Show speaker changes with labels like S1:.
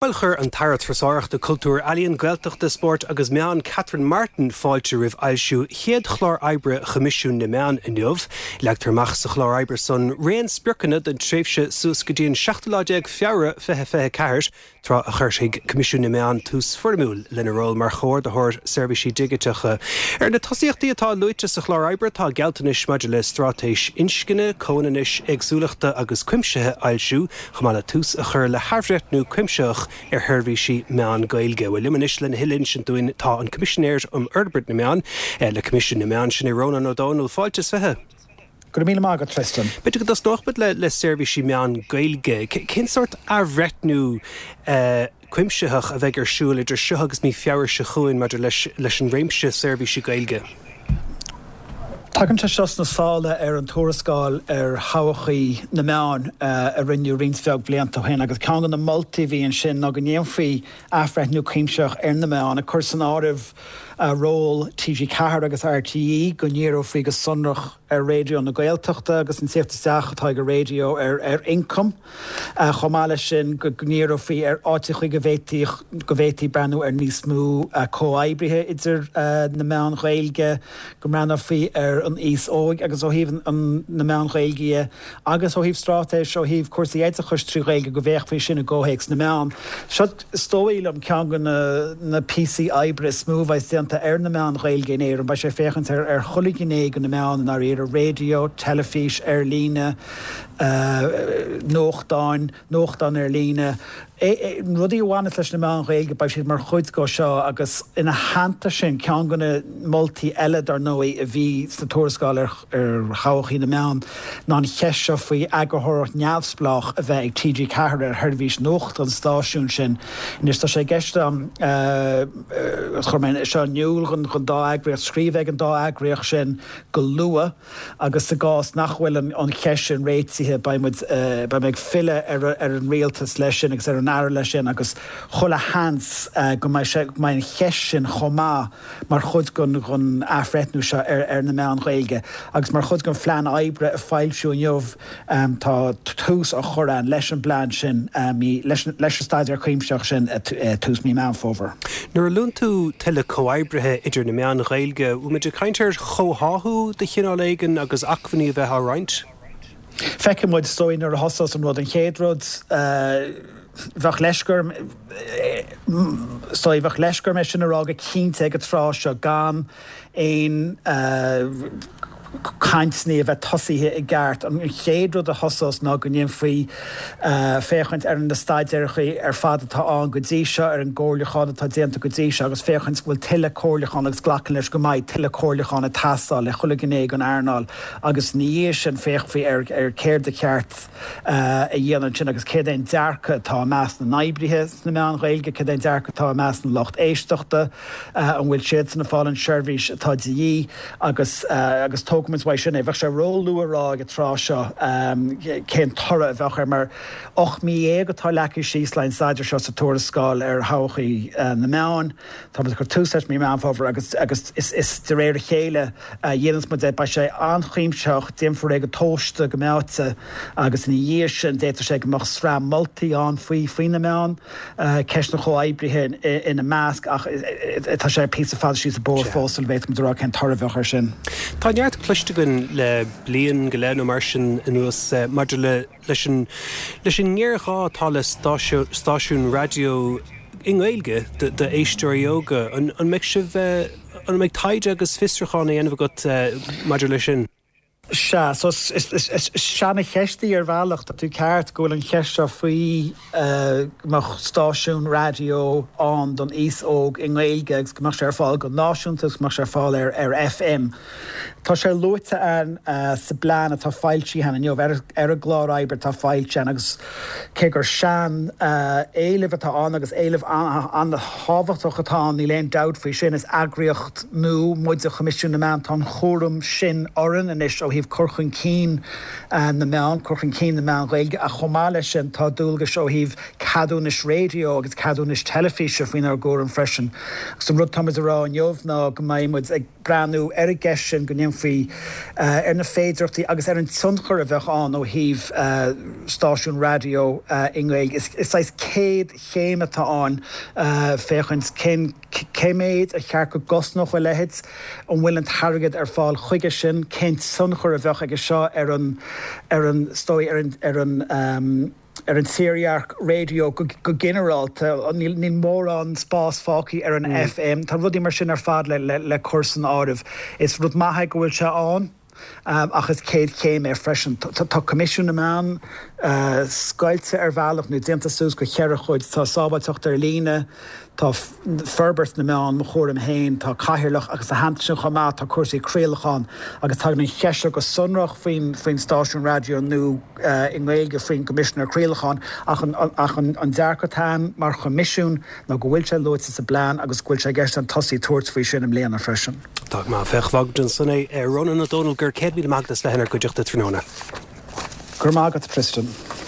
S1: Bhuel chuir an tAire Turasóireachta, Cultúir, Ealaíon, Gaeltachta, Spóirt agus Meán Catherine Martin fáilte roimh fhoilsiú chéad chlár oibre Choimisiún na Meán inniu. Leagtar amach sa chlár oibre san raon spriocanna don tréimhse suas go dtí an seachtú lá déag Feabhra 2024, tráth a chuirfidh Coimisiún na Meán tús foirmiúil lena ról mar chomhordaitheoir seirbhísí digiteacha. Ar na tosaíochtaí atá luaite sa chlár oibre tá gealltanais maidir le straitéis inscne, comhionannais, éagsúlachta agus cuimsithe a fhoilsiú, chomh maith le tús a chur le hathbhreithniú cuimsitheach ar sheirbhísí meán Gaeilge. Bhuel, liom anois lena thuilleadh a insint dúinn tá an Coimisinéir um Fhorbairt na Meán le Coimisiún na Meán, sin é Rónán Ó Domhnaill. Fáilte is 20.
S2: Go raibh míle maith agat, Tristan.
S1: B'fhéidir go dtosnódh muid le seirbhísí meán Gaeilge. Cén sórt athbhreithniú cuimsitheach a bheidh ar siúl idir seo agus mí Feabhra seo chugainn maidir leis an réimse seirbhísí Gaeilge.
S2: Tagann sé seo sna sála ar an tuarascáil ar thodhchaí na meán a rinneadh roinnt bheag blianta ó shin agus ceann de na moltaí a bhí ansin ná go ndéanfaí athbhreithniú cuimsitheach ar na meáin, ag cur san áireamh ról TG4 agus RTÉ, go ndíreofaí go sonrach ar Raidió na Gaeltachta agus an tíocht isteach atá ag an raidió ar ioncam. Chomh maith leis sin, go ndíreofaí ar áiteachaí go bhféadfaí go bhféadfaí breathnú ar níos mó comhoibrithe idir na meáin Ghaeilge, go mbreathnófaí ar an aos óg agus ó thaobh na meáin Ghaeilge dhe agus ó thaobh straitéis ó thaobh cúrsaí oideachais trí Ghaeilge go bhféachfaí sin i gcomhthéacs na meán. Seo, is dóigh liom, ceann de na píosaí oibre is mó a bheas déanta ar na meáin Ghaeilge in Éirinn. Beidh sé ag féachaint ar chuile ghné de na meáin i ndáiríre, raidió, teilifís, ar líne, nuachtáin, nuachtáin ar líne, rudaí a bhaineas leis na meáin Ghaeilge, beidh siad mar chuid de seo agus ina theannta sin, ceann de na moltaí eile dar ndóigh a bhí sna tuarascáil ar thodhchaí na meán ná an cheist seo faoi eagarthóireacht neamhspleách a bheith ag TG4 ar sheirbhís nuachta an stáisiúin sin. Anois tá sé i gceist agam, chuir mé seo in iúl don dá eagraíocht, scríobh ag an dá eagraíocht sin go luath, Agus sa gcás nach bhfuil an cheist sin réitithe, beidh muid, beidh mé ag filleadh ar an Rialtas leis sin agus ar an Aire leis sin agus chuile sheans go mbeidh sé, go mbeidh an cheist sin chomh maith mar chuid den athbhreithniú seo ar na meáin Ghaeilge. Agus mar chuid den phlean oibre a foilsíodh inniu, Tá tús á chur ann leis an bplean sin, leis an staidéar cuimsitheach sin tús mí Meán Fómhair.
S1: Nuair a luann tú tuilleadh comhoibrithe idir na meáin Ghaeilge, bhfuil muid ag caint ar chomhtháthú de chineál éigin agus acmhainní a bheith á roinnt?
S2: Feicfidh muid, is dóigh, nuair a thosós an rud. An chéad rud, bheadh leisce orm, is dóigh, bheadh leisce orm é sin a rá go cinnte ag an tráth seo gan aon cainteanna a bheith tosaithe i gceart. An chéad rud a thosós ná go ndéanfaí féachaint ar na staidéarachaí ar fad atá ann go dtí seo, ar an gcomhairliúchán atá déanta go dtí seo agus féachaint go bhfuil tuilleadh comhairliúchán agus glacadh leis go mbeidh tuilleadh comhairliúchán ag teastáil le chuile ghné den earnáil agus ina dhiaidh sin féachfaí ar céard ba cheart a dhéanamh ansin agus céard é an dearcadh atá i measc na n-oibrithe sna meáin Ghaeilge, céard é an dearcadh atá i measc na lucht éisteachta. An bhfuil siadsan ag fáil an seirbhís atá de dhíth agus agus tógfaimid uaidh sin é. Bheadh sé ró-luath a rá ag an tráth seo cén toradh a bheadh air mar 18 mí atá leagtha síos le an staidéar seo sa tuarascáil ar thodhchaí na meán. Tá muid ag cur tús leis mí Meán Fómhair agus agus is de réir a chéile a dhéanfas muid é. Beidh sé an-chuimsitheach, déanfar é go tomhaiste, go meáite agus ina dhiaidh sin d'fhéadfadh sé go mbeadh sraith moltaí ann faoi faoi na meáin. ceist an chomhoibrithe ina measc ach tá sé píosa fada síos an bóthar fós sula bhféadfadh muid a rá cén toradh a bheadh air sin.
S1: Tá neart cloiste againn le bliain go leith nó mar sin anuas maidir le leis an leis an ngéarghá atá le stáisiún raidió i nGaeilge d'éisteoirí óga. An mbeidh sibh, an mbeidh taighde agus fiosrúchán á dhéanamh agat maidir leis sin?
S2: Sea, so is seana-cheist í ar bhealach, tá tú ceart go bhfuil an cheist seo faoi go mbeadh stáisiún raidió ann don aos óg i nGaeilge agus go mbeadh sé ar fáil go náisiúnta agus go mbeadh sé ar fáil ar FM. Tá sé luaite ann sa bplean atá foilsithe ann inniu, ar an gclár oibre atá foilsithe ann agus cé gur sean-éileamh atá ann agus éileamh an-tábhachtach atá ann, níl aon dabht faoi sin, is eagraíocht nua muide, Coimisiún na Meán, tá an chúram sin orainn anois ó thaobh cur chun cinn na meán, cur chun cinn na meán Ghaeilge ach chomh maith leis sin tá dualgais ó thaobh ceadúnais raidió agus ceadúnais teilifíse faoinár gcúram freisin. Agus an rud atá muid a rá inniu ná go mbeidh muid ag. breathnú ar an gceist sin, go ndéanfaí ar na féidearthachtaí agus ar an tionchar a bheadh ann ó thaobh stáisiún raidió i nGaeilge. Is saghas céad chéim atá ann féachaint cén cé méid a cheart go gcosnódh a leithéid, an bhfuil an t-airgead ar fáil chuige sin, cén tionchar a bheadh aige seo ar an ar an is dóigh ar an ar an ar an tírdhreach raidió go ginearálta. Níl mórán spás fágtha ar an FM. Tá rudaí mar sin ar fad le cur san áireamh. Is rud maith é go bhfuil sé ann ach is céad chéim é freisin. Tá Coimisiún na Meán scoilte ar bhealach nó déanta suas go cheithre chuid. Tá sábháilteacht ar líne, Tá forbairt na meán mo chúram féin, tá cathaoirleach agus ina theannta sin chomh maith tá cúrsaí craolacháin agus tagann an cheist seo go sonrach faoin faoin stáisiún raidió nua i nGaeilge faoin gCoimisinéir Craolacháin ach an ach an an dearcadh atá ann mar Choimisiún ná go bhfuil sé luaite sa bplean agus go bhfuil sé i gceist ann tosaí tabhairt faoi sin i mbliana freisin.
S1: Tá go maith. Féach, fágfaimid ansan é. Rónán Ó Domhnaill, go raibh 100,000 maith agat as bheith inár gcuideachta tráthnóna.
S2: Go raibh maith agat, a Tristan.